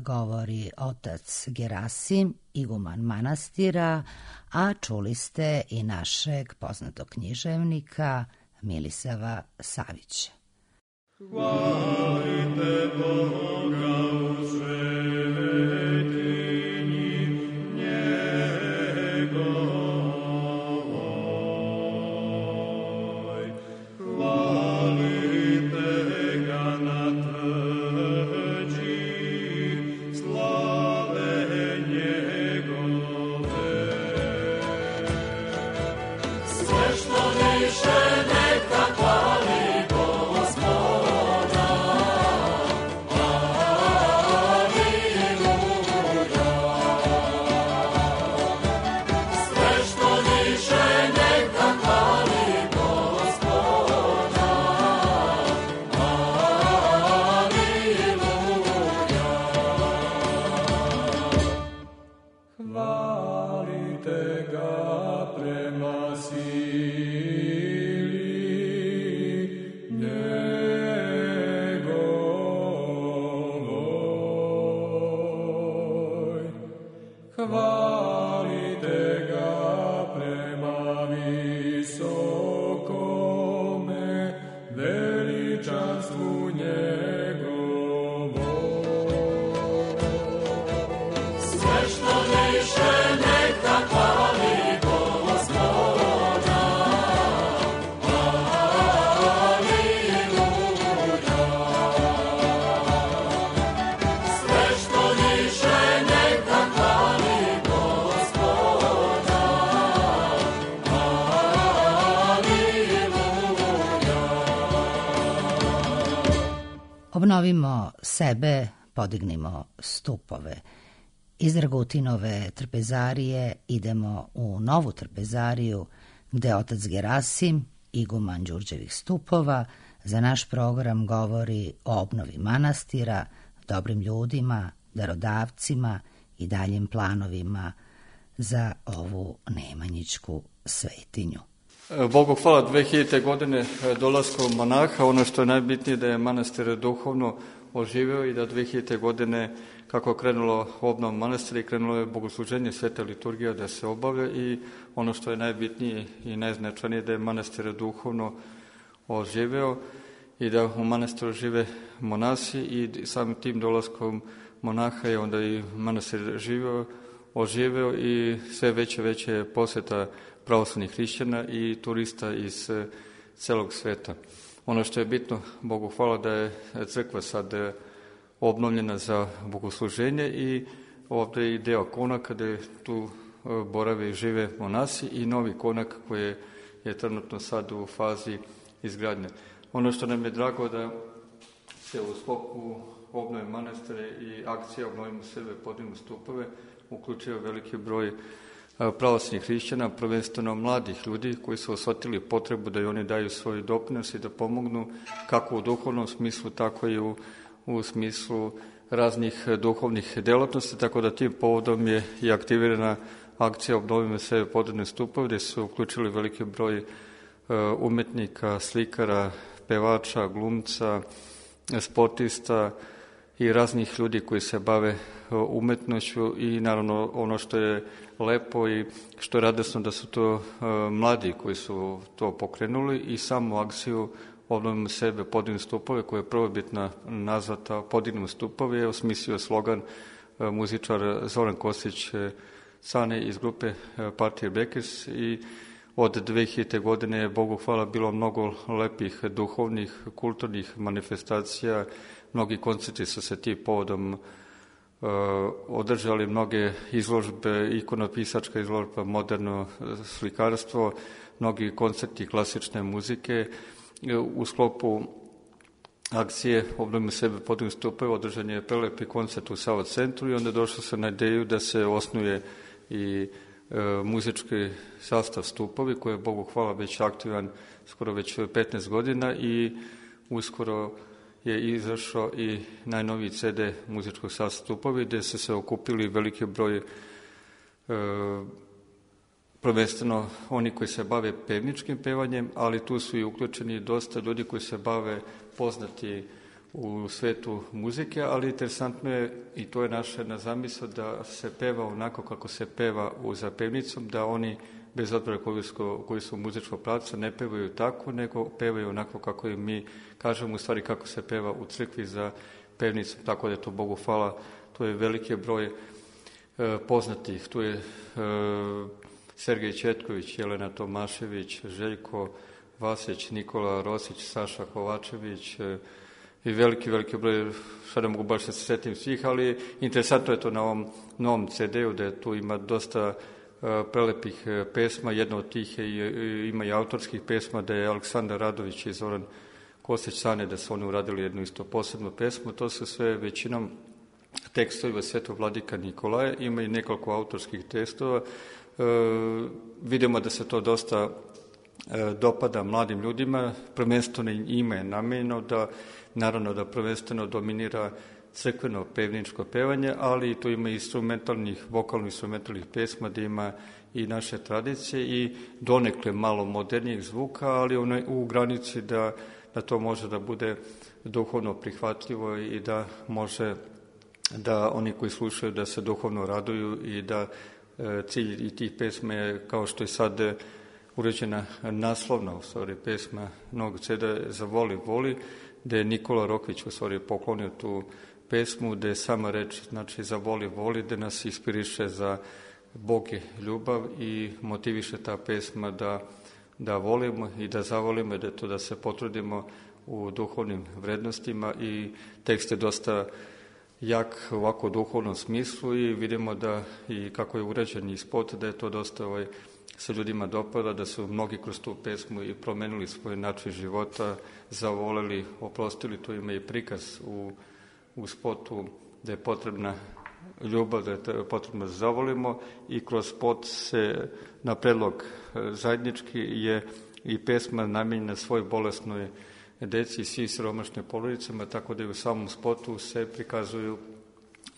govori otac Gerasim, iguman manastira, a čuli ste i našeg poznatog književnika Milisava Savića. Hvalite Boga u svetinji njegovoj. hvalite ga prema sili njegovoj. Hvalite ga prema visokome veličanstvu njegovom. Sve što više neka hvali Gospoda. Aleluja. Sve što više neka hvali Gospoda. Obnovimo sebe, podignimo stupove. Iz Dragutinove trpezarije idemo u novu trpezariju gde otac Gerasim, iguman Đurđevih stupova, za naš program govori o obnovi manastira, dobrim ljudima, darodavcima i daljim planovima za ovu nemanjićku svetinju. Bogu hvala, 2000. godine dolaskom monaha, ono što je najbitnije da je manastir duhovno oživeo i da 2000. godine kako je krenulo obnova manastira i krenulo je bogosluženje, sveta liturgija da se obavlja i ono što je najbitnije i najznačajnije da je manastir duhovno oživeo i da u manastiru žive monasi i samim tim dolaskom monaha je onda i manastir oživeo i sve veće poseta pravoslavnih hrišćana i turista iz celog sveta. Ono što je bitno, Bogu hvala, da je crkva sad obnovljena za bogosluženje i ovdje je i deo konaka gde tu borave i žive monasi i novi konak koji je trenutno sad u fazi izgradnje. Ono što nam je drago da se u sklopu obnove manastira i akcija Obnovimo sebe, podignimo stupove uključio veliki broj pravoslavnih hrišćana, prvenstveno mladih ljudi koji su osjetili potrebu da i oni daju svoj doprinos i da pomognu kako u duhovnom smislu, tako i u smislu raznih duhovnih delatnosti, tako da tim povodom je i aktivirana akcija Obnovimo sebe, podignimo stupove, gde su uključili veliki broj umetnika, slikara, pevača, glumca, sportista i raznih ljudi koji se bave umetnošću i naravno ono što je lepo i što je radosno da su to mladi koji su to pokrenuli i samu akciju Obnovimo sebe, podignimo stupove, koja je prvobitna nazvata Podignimo stupove, je osmislio slogan muzičar Zoran Kostić Cane iz grupe Partije Bekers i od 2000. godine je, Bogu hvala, bilo mnogo lepih duhovnih, kulturnih manifestacija, mnogi koncerti su se tim povodom održali, mnoge izložbe, ikonopisačka izložba, moderno slikarstvo, mnogi koncerti klasične muzike. U sklopu akcije Obnovimo sebe, podignimo stupove održan je prelepi koncert u Sava centru i onda došlo se na ideju da se osnuje i muzički sastav Stupovi, koji je, Bogu hvala, već aktivan skoro već 15 godina i uskoro je izašao i najnoviji CD muzičkog sastava Stupovi, gde su se okupili veliki broj prvenstveno oni koji se bave pevničkim pevanjem, ali tu su i uključeni dosta ljudi koji se bave poznati u svetu muzike, ali interesantno je, i to je naša jedna zamisao, da se peva onako kako se peva za pevnicom, da oni, bez obzira koji su muzičkog pravca, ne pevaju tako, nego pevaju onako kako im mi kažemo, u stvari kako se peva u crkvi za pevnicom, tako da je to, Bogu hvala, to je veliki broj poznatih. Tu je Sergej Četković, Jelena Tomašević, Željko Vasić, Nikola Rosić, Saša Kovačević i veliki broj, sada mogu baš da se setim svih, ali interesantno je to na ovom novom CD-u, da tu ima dosta prelepih pesma, jedna od tih ima i autorskih pesma, da je Aleksandar Radović i Zoran Kostić Cane, da su oni uradili jednu isto posebnu pesmu, to su sve većinom tekstova Svetog vladika Nikolaja, ima i nekoliko autorskih tekstova. Vidimo da se to dosta dopada mladim ljudima, prvenstveno ime je namenjeno da, naravno da prvenstveno dominira crkveno pevničko pevanje, ali tu ima instrumentalnih, vokalno-instrumentalnih pesma, da ima i naše tradicije i donekle malo modernijeg zvuka, ali u granici da to može da bude duhovno prihvatljivo i da može da oni koji slušaju da se duhovno raduju i da cilj i tih pesma je, kao što je sad uređena naslovna, u stvari, pesma Novog Ceda za voli, gde je Nikola Rokvić u stvari poklonio tu pesmu, gde je sama reč, znači za voli, gde nas inspiriše za Bog je ljubav i motiviše ta pesma da volimo i da zavolimo, da se potrudimo u duhovnim vrednostima, i tekst je dosta jak ovako u duhovnom smislu i vidimo da i kako je uređen i spot, da je to dosta se ljudima dopada, da su mnogi kroz tu pesmu i promenili svoj način života, zavoleli, oprostili. Tu ima i prikaz u spotu da je potrebna ljubav, da je potrebno da zavolimo, i kroz spot se na predlog zajednički je i pesma namenjena svoj bolesnoj deci i svim siromašnim porodicama, tako da i u samom spotu se prikazuju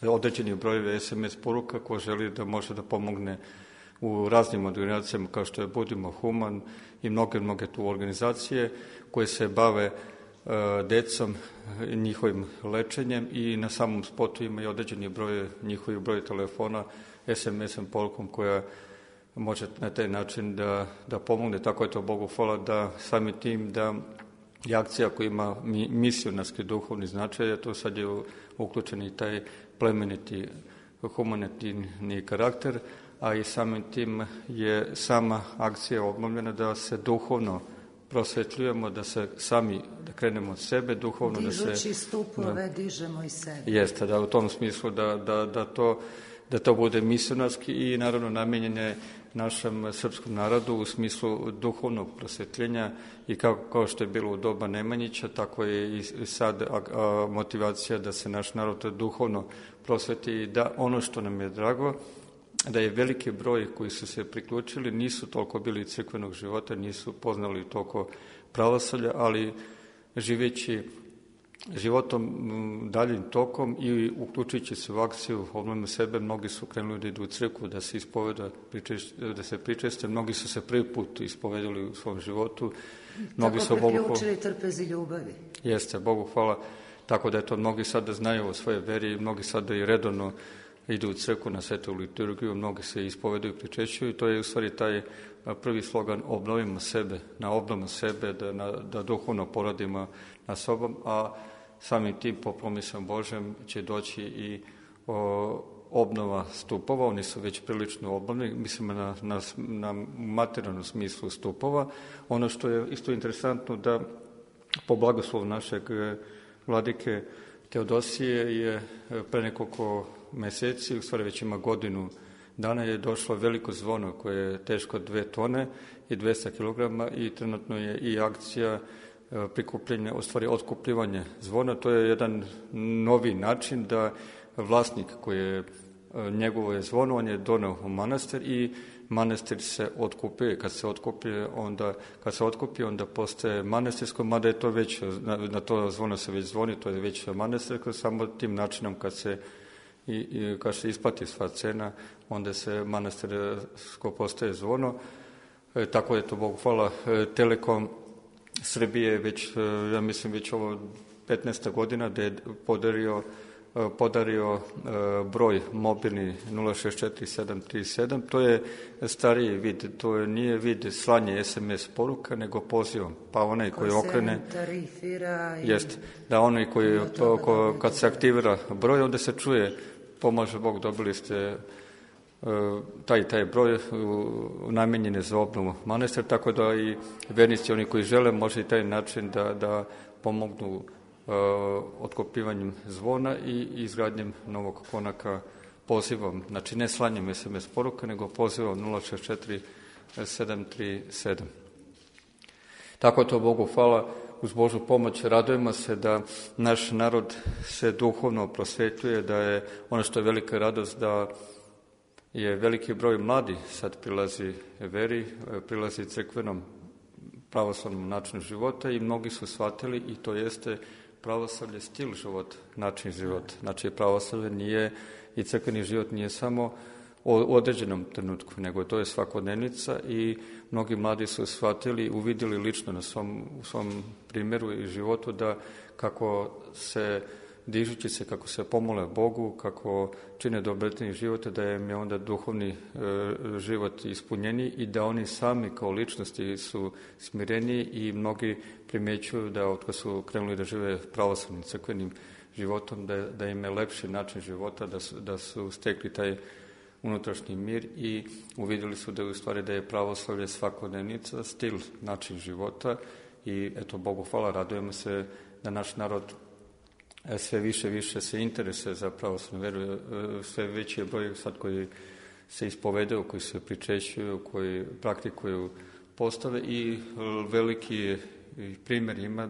određeni brojevi SMS poruka ko želi da može da pomogne u raznim organizacijama kao što je Budimo human i mnoge tu organizacije koje se bave decom, njihovim lečenjem, i na samom spotu ima i određeni broj, njihovi broj telefona SMS-om porukom koja može na taj način da pomogne. Tako je to Bogu hvala da samim tim da je akcija koja ima misionarski duhovni značaj, a to sad je uključen i taj plemeniti humanitarni karakter, a i samim tim je sama akcija obnovljena da se duhovno prosvetljujemo, da se sami, da krenemo od sebe duhovno. Dižući stupove, dižemo i sebe. Jeste, da u tom smislu da to bude misionarski i naravno namenjene našem srpskom narodu u smislu duhovnog prosvetljenja, i kao što je bilo u doba Nemanjića, tako je i sad motivacija da se naš narod duhovno prosveti, i da ono što nam je drago, da je veliki broj koji su se priključili, nisu toliko bili crkvenog života, nisu poznali toliko pravoslavlja, ali živeći životom daljim tokom i uključujući se u akciju obnovimo sebe, mnogi su krenuli da idu u crkvu, da se ispoveda, da se pričeste, mnogi su se prvi put ispovedali u svom životu. Mnogi tako priključili trpezi ljubavi. Jeste, Bogu hvala. Tako da je to mnogi sada znaju o svojoj veri, mnogi sada i redovno idu u crkvu na svetu liturgiju, mnogi se ispovedaju i pričešćuju, i to je u stvari taj prvi slogan obnovimo sebe, na obnovu sebe, da duhovno poradimo na sobom, a samim tim po promisom Božem će doći i obnova stupova. Oni su već prilično obnovljeni, mislim na materijalnom smislu stupova. Ono što je isto interesantno, da po blagoslovu našeg vladike Teodosije je pre nekoliko meseci, u stvari već ima godinu dana, je došlo veliko zvono koje je teško 2 tone i 200 kilograma, i trenutno je i akcija prikupljenja, u stvari otkupljivanje zvona. To je jedan novi način da vlasnik koji je njegovo je zvono, on je doneo u manastir i manastir se otkupuje. Kad se otkupi, onda postaje manastirsko, mada je to već, na to zvono se već zvoni, to je već manastirsko, samo tim načinom kad se isplati sva cena, onda se manastirsko postaje zvono. Tako je to, Bogu hvala, Telekom Srbije već, ja mislim, već ovo 15. godina da je podario broj mobilni 064-737. To je stariji vid, to nije vid slanje SMS poruka, nego pozivom. Pa onaj koji okrene, jest, da onaj koji kad se aktivira broj, onda se čuje pomaže Bog, dobili ste taj broj namenjen je za obnovu manastira, tako da i vernici, oni koji žele, može i taj način da pomognu otkopivanjem zvona i izgradnjem novog konaka pozivom, znači ne slanjem SMS poruka, nego pozivom 064-737. Tako to, Bogu hvala, uz Božu pomoć radujemo se da naš narod se duhovno prosvetljuje, da je ono što je velika radost, da je veliki broj mladi sad prilazi veri, prilazi crkvenom pravoslavnom načinu života, i mnogi su shvatili, i to jeste pravoslavlje stil života, način života. Znači, pravoslavlje nije i crkveni život nije samo u određenom trenutku, nego to je svakodnevnica i mnogi mladi su shvatili, uvidjeli lično na svom primjeru i životu da kako se dižući se, kako se pomole Bogu, kako čine dobrotveni život, da im je onda duhovni život ispunjeniji i da oni sami kao ličnosti su smireniji i mnogi primjećuju da otkad su krenuli da žive pravoslavnim crkvenim životom, da im je lepši način života, da su stekli taj unutrašnji mir i uvidjeli su da je u stvari da je pravoslavlje svakodnevnica, stil, način života i eto, Bogu hvala, radujemo se da naš narod sve više se interesuje za pravoslavnu veru, sve veći je broj sad koji se ispovedaju, koji se pričešćuju, koji praktikuju postave i veliki primjer ima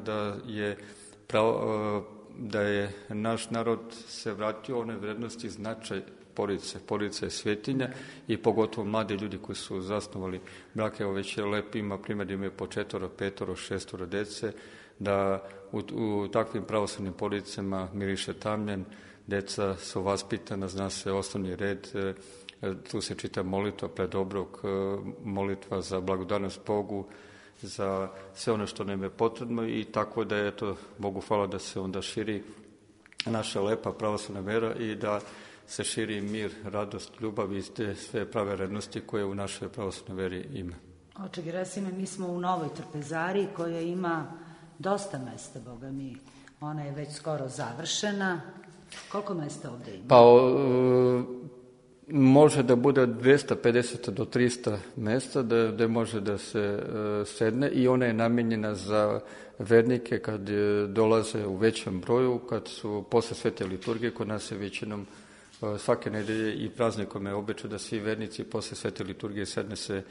da je naš narod se vratio one vrednosti značaj porodice. Porodica je svetinja i pogotovo mladi ljudi koji su zasnovali brak. Evo već je lep, ima primjer da imaju po 4, 5, 6 dece, da u takvim pravoslavnim porodicama miriše tamljen, deca su vaspitana, zna se osnovni red, tu se čita molitva pred obrok, molitva za blagodarnost Bogu, za sve ono što nam je potrebno i tako da je to, Bogu hvala, da se onda širi naša lepa pravoslavna vera i da se širi mir, radost, ljubav i te sve prave vrednosti koje u našoj pravoslavnoj veri ima. Oče Gerasime, mi smo u Novoj Trpezariji koja ima dosta mesta, Boga mi. Ona je već skoro završena. Koliko mesta ovdje ima? Pa može da bude 250 do 300 mesta da može da se sedne i ona je namijenjena za vernike kad dolaze u većem broju, kad su posle svete liturgije. Kod nas je većinom svake nedelje i praznikom je običaj da svi vernici posle svete liturgije sedne se,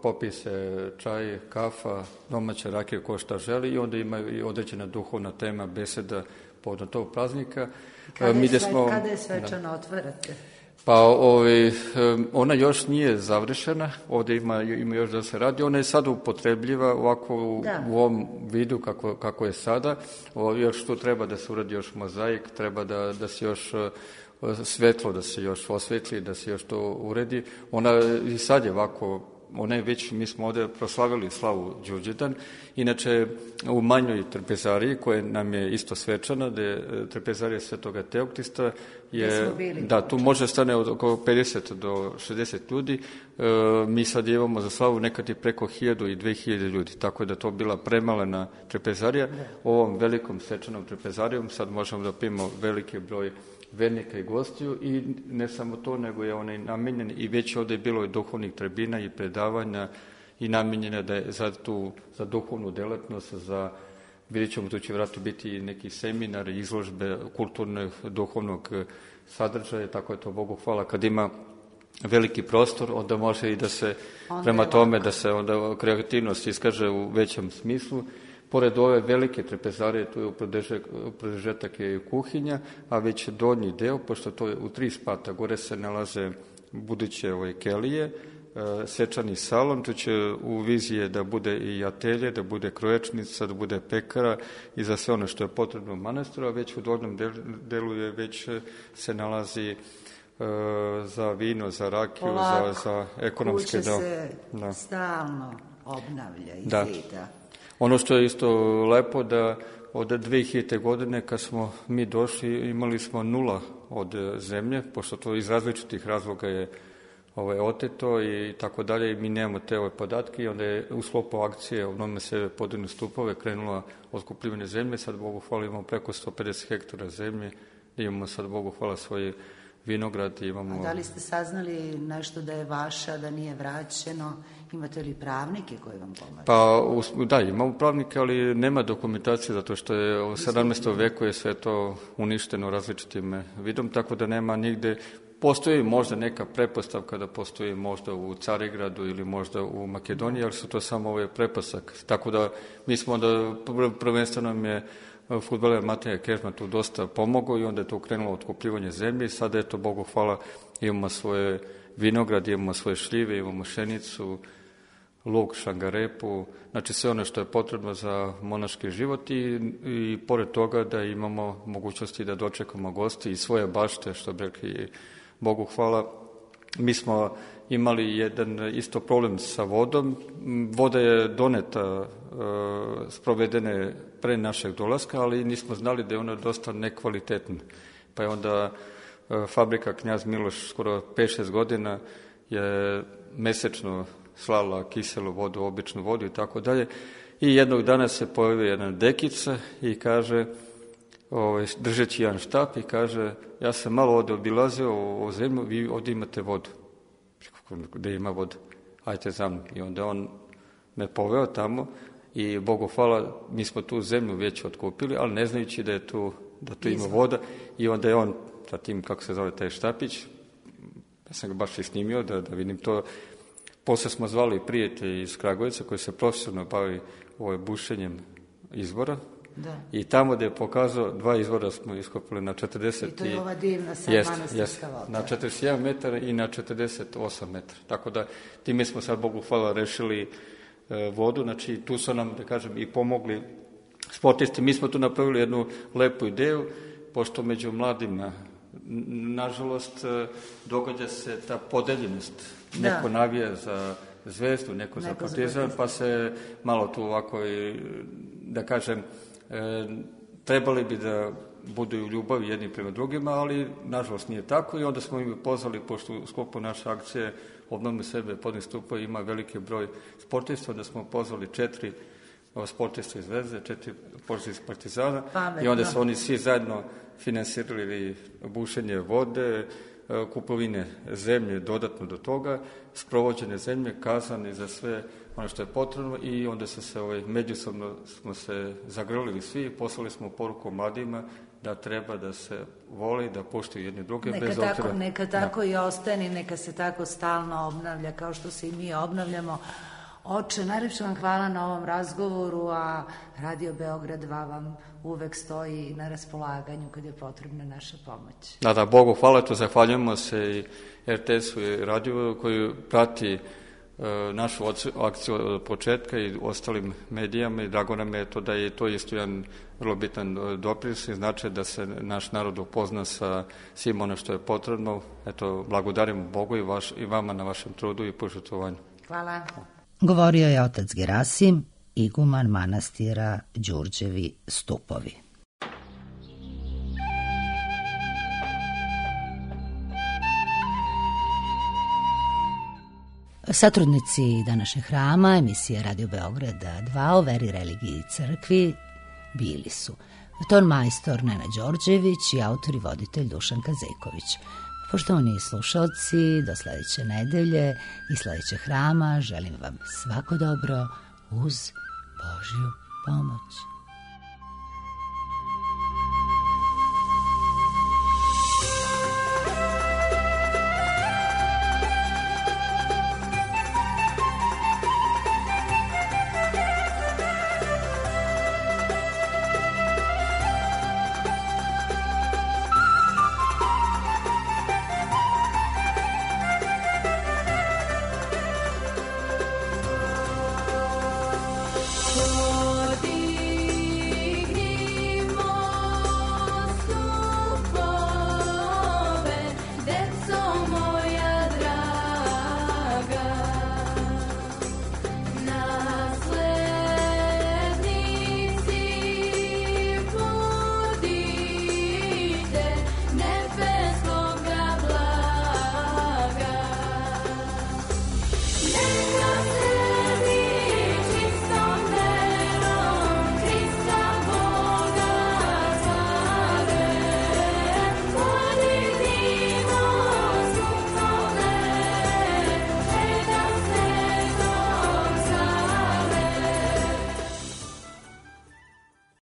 popije se čaj, kafa, domaća rakija, ko šta želi i onda ima i određena duhovna tema, beseda povodom tog praznika. Kada je svečano otvarate? Pa ona još nije završena, ovdje ima još da se radi, ona je sada upotrebljiva ovako u ovom vidu kako je sada, još tu treba da se uradi još mozaik, treba da se još svetlo, da se još osvetli, da se još to uredi. Ona i sad je ovako, ona je već, mi smo ovdje proslavili slavu Đurđevdan, inače u manjoj trpezariji koja nam je isto svečana, da je trpezarija Svetoga Teoktista, tu može stane od oko 50 do 60 ljudi, mi sad imamo za slavu nekad i preko 1000 i 2000 ljudi, tako da to bila premalena trpezarija. Ovom velikom svečanom trpezarijom sad možemo da primimo veliki broj vernika i gostiju i ne samo to, nego je onaj namenjen i već ovdje je bilo i duhovnih tribina i predavanja i namenjena da je za duhovnu delatnost, vidjet ćemo, tu će vratno biti i neki seminar, izložbe kulturnog, duhovnog sadržaja, tako je to, Bogu hvala, kad ima veliki prostor, onda može i da se, prema tome, da se onda kreativnost iskaže u većem smislu. Pored ove velike trpezarije, tu je u produžetak je i kuhinja, a već donji deo, pošto to je u 3 spata, gore se nalaze buduće kelije, svečani salon, tu će u vizije da bude i atelje, da bude kroječnica, da bude pekara i za sve ono što je potrebno u manastiru, a već u donjem delu je već se nalazi za vino, za rakiju, za ekonomske kuća se stalno obnavlja i zida. Ono što je isto lepo da od 2000. godine kad smo mi došli imali smo 0 od zemlje, pošto to iz različitih razloga je oteto i tako dalje i mi nemamo te podatke i onda je u sklopu akcije Obnovimo sebe podignu stupove krenula otkupljivanje zemlje, sad Bogu hvala imamo preko 150 hektara zemlje, imamo sad Bogu hvala svoje vinograd. A da li ste saznali nešto da je vaša, da nije vraćeno? Imate li pravnike koji vam pomažu? Pa da, imamo pravnike, ali nema dokumentacije zato što je u 17. veku je sve to uništeno različitim vidom, tako da nema nigde. Postoji možda neka pretpostavka da postoji možda u Carigradu ili možda u Makedoniji, ali su to samo pretpostavke. Tako da mi smo onda prvenstveno nam je fudbaler Mateja Kežman tu dosta pomogao i onda je to krenulo otkupljivanje zemlje i sada je to, Bogu hvala, imamo svoje vinograd, imamo svoje šljive, imamo pšenicu, luk, šangarepu, znači sve ono što je potrebno za monaški život i pored toga da imamo mogućnosti da dočekamo gosti i svoje bašte, što bi rekli Bogu hvala. Mi smo imali jedan isto problem sa vodom. Voda je doneta, sprovedene pre našeg dolaska, ali nismo znali da je ona dosta nekvalitetna. Pa je onda fabrika Knjaz Miloš skoro 5-6 godina je mesečno slala kiselu vodu, običnu vodu i tako dalje. I jednog dana se pojavio jedna dekica i kaže, držeći jedan štap i kaže, ja sam malo ovde obilazio u zemlju, vi ovde imate vodu. Gde ima voda? Ajte za mnom. I onda on me poveo tamo i Bogu hvala, mi smo tu zemlju već otkupili, ali ne znajući da tu ima voda. I onda je on sa tim, kako se zove taj štapić, ja sam ga baš i snimio da vidim to. Posle smo zvali prijatelje iz Kragujevca koji se profesionalno bavi bušenjem izvora. Da. I tamo gde je pokazao 2 izvora smo iskopali na 40... I to je ova divna sad manastirska voda. Na 41 metar i na 48 metara. Tako da time smo sad, Bogu hvala, rešili vodu. Znači tu su nam, da kažem, i pomogli sportisti. Mi smo tu napravili jednu lepu ideju, pošto među mladima, nažalost, događa se ta podeljenost. Neko navija za Zvezdu, neko za Partizan, pa se malo tu ovako, da kažem, trebali bi da budu u ljubavi jedni prema drugima, ali nažalost nije tako i onda smo im pozvali, pošto u sklopu naše akcije Obnovimo sebe podnih stupa ima veliki broj sportista, onda smo pozvali 4 sportista iz Zvezde, 4 sportista iz Partizana. I onda su oni svi zajedno finansirali bušenje vode, kupovine zemlje dodatno do toga, sprovođene zemlje, kazane za sve ono što je potrebno i onda su se međusobno smo se zagrlili svi i poslali smo poruku mladima da treba da se voli, da poštuju jedni druge. Neka tako i ostane, neka se tako stalno obnavlja kao što se i mi obnavljamo. Oče, najlepše vam hvala na ovom razgovoru, a Radio Beograd 2 vam uvek stoji na raspolaganju kad je potrebna naša pomoć. Da, Bogu hvala, to zahvaljujemo se i RTS-u i radiju koji prati našu akciju od početka i ostalim medijama i drago nam je to da je to isto jedan vrlo bitan doprinos i znači da se naš narod upozna sa svim ono što je potrebno. Eto, blagodarimo Bogu i vama na vašem trudu i požrtvovanju. Hvala. Govorio je otac Gerasim, iguman manastira Đurđevi stupovi. Satrudnici današnjeg hrama, emisije Radio Beograda 2 o veri, religiji i crkvi bili su ton majstor Nena Đorđević i autor i voditelj Dušan Kazeković. Poštovani slušalci, do sledeće nedelje i sledećeg hrama želim vam svako dobro uz Božju pomoć.